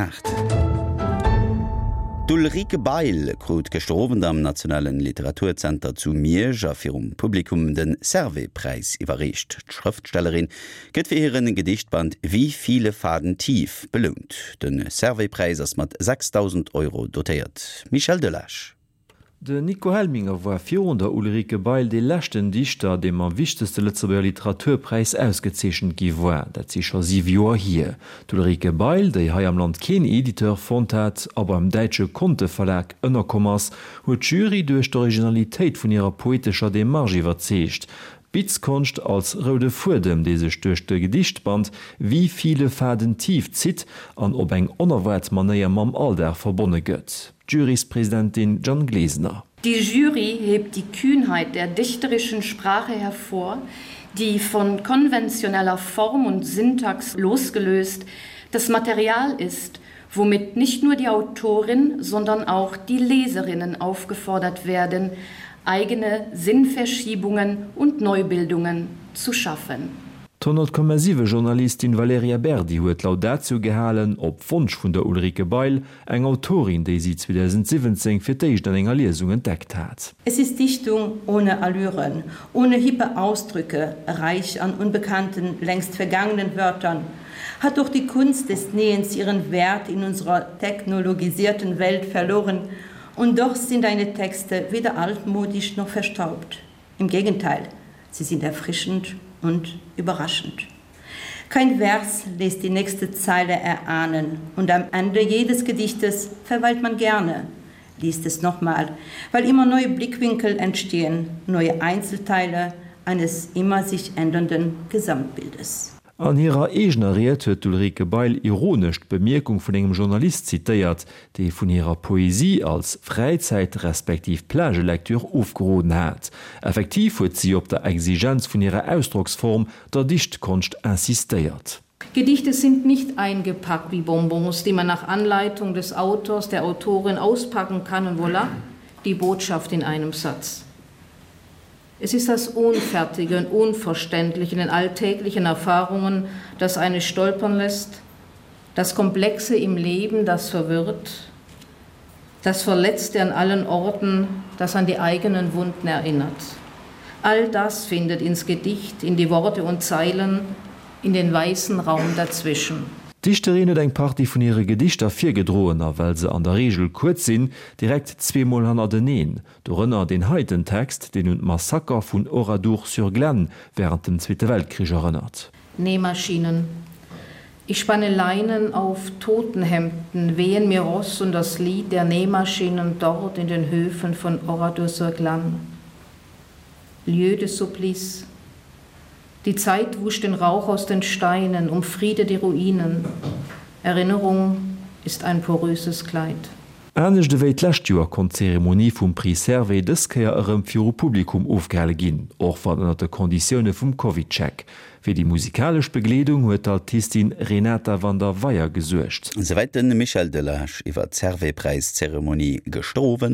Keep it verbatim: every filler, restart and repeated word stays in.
Aacht. D'Ulrike Bail krut gëschter Owend am Nationalen Literaturzenter zu Miersch a virum Publikum de Servais-Präis iwwerreecht. D'Schrëftstellerin gëtt fir hiren Gedichtband Wie viele Faden tief belount. De Servais-Präis ass mat sechsdausend Euro dotéiert. Michel Delage. Den Nico Helminger war virun der Ulrike Bail dee leschten Dichter, dee mam wichtegste Lëtzebuerger Literaturpräis ausgezeechent gi war. Dat si scho siwe Joer hier. D'Ulrike Bail, déi hei am Land keen Editeur fonnt hat a beim däitsche Conte Verlag ënnerkomm ass, huet d'Jury duerch d'Originalitéit vun hirer poetescher Demarche iwwerzeegt. D'Bitzkonscht als roude Fuedem, dee sech duerch de Gedichtband Wie viele Faden tief zitt an op eng onerwaart Manéier mam Alldag verbonne gëtt. D'Juryspresidentin Jeanne Glesener. Die Jury hebt die Kühnheit der dichterischen Sprache hervor, die von konventioneller Form und Syntax losgelöst das Material ist, womit nicht nur die Autorin, sondern auch die Leserinnen aufgefordert werden, eigene Sinnverschiebungen und Neubildungen zu schaffen. D'Honnert Komma siwe Journalistin Valerija Berdi huet d'Laudatio gehalen, op Wonsch vun der Ulrike Bail, eng Autorin, déi si zweedausendsiwwenzéng fir d'éischt an enger Liesung entdeckt hat. Es ist Dichtung ohne Allüren, ohne hippe Ausdrücke, reich an unbekannten, längst vergangenen Wörtern. Hat doch die Kunst des Nähens ihren Wert in unserer technologisierten Welt verloren, und doch sind deine Texte weder altmodisch noch verstaubt. Im Gegenteil, sie sind erfrischend und überraschend. Kein Vers lässt die nächste Zeile erahnen und am Ende jedes Gedichtes verweilt man gerne, liest es nochmal, weil immer neue Blickwinkel entstehen, neue Einzelteile eines immer sich ändernden Gesamtbildes. An hirer eegener Ried huet d'Ulrike Bail ironesch d'Bemierkung vun engem Journalist zitéiert, dee vun hirer Poesie als Fräizäit respektiv Plagelektür ofgeroden hat. Effektiv huet si op der Exigenz vun hirer Ausdrocksform, der Dichtkonscht, insistéiert. Gedichte sind nicht eingepackt wie Bonbons, die man nach Anleitung des Autors, der Autorin auspacken kann und voilà, die Botschaft in einem Satz. Es ist das Unfertige und Unverständliche in den alltäglichen Erfahrungen, das eine stolpern lässt, das Komplexe im Leben, das verwirrt, das Verletzte an allen Orten, das an die eigenen Wunden erinnert. All das findet ins Gedicht, in die Worte und Zeilen, in den weißen Raum dazwischen. D'Dichterin huet eng Partie vun hire Gedichter virgedroen a well se an der Reegel kuerz sinn, direkt zweemol hannerteneen, dorënner deen heiten Text, deen un d'Massaker vun Oradour-sur-Glane wärend dem Zweete Weltkrich erënnert. Nähmaschinen. Ich spanne Leinen auf Totenhemden, wehen mir Ross und das Lied der Nähmaschinen dort in den Höfen von Oradour-sur-Glane. Lieu de supplice. Die Zeit wusch den Rauch aus den Steinen, umfriede die Ruinen. Erinnerung ist ein poröses Kleid. Anescht ewéi d'lescht Joer konnt d'Zeremonie vum Prix Servais dës Kéier erëm viru Publikum ofgehale ginn, och wann ënnert de Konditioune vum CovidCheck. Fir déi musikalesch Begleedung huet d'Altistin Renata van der Weyer gesuergt. Souwäit de Michel Delage iwwer d'Servais-Präis-Zeremonie gëschter Owend.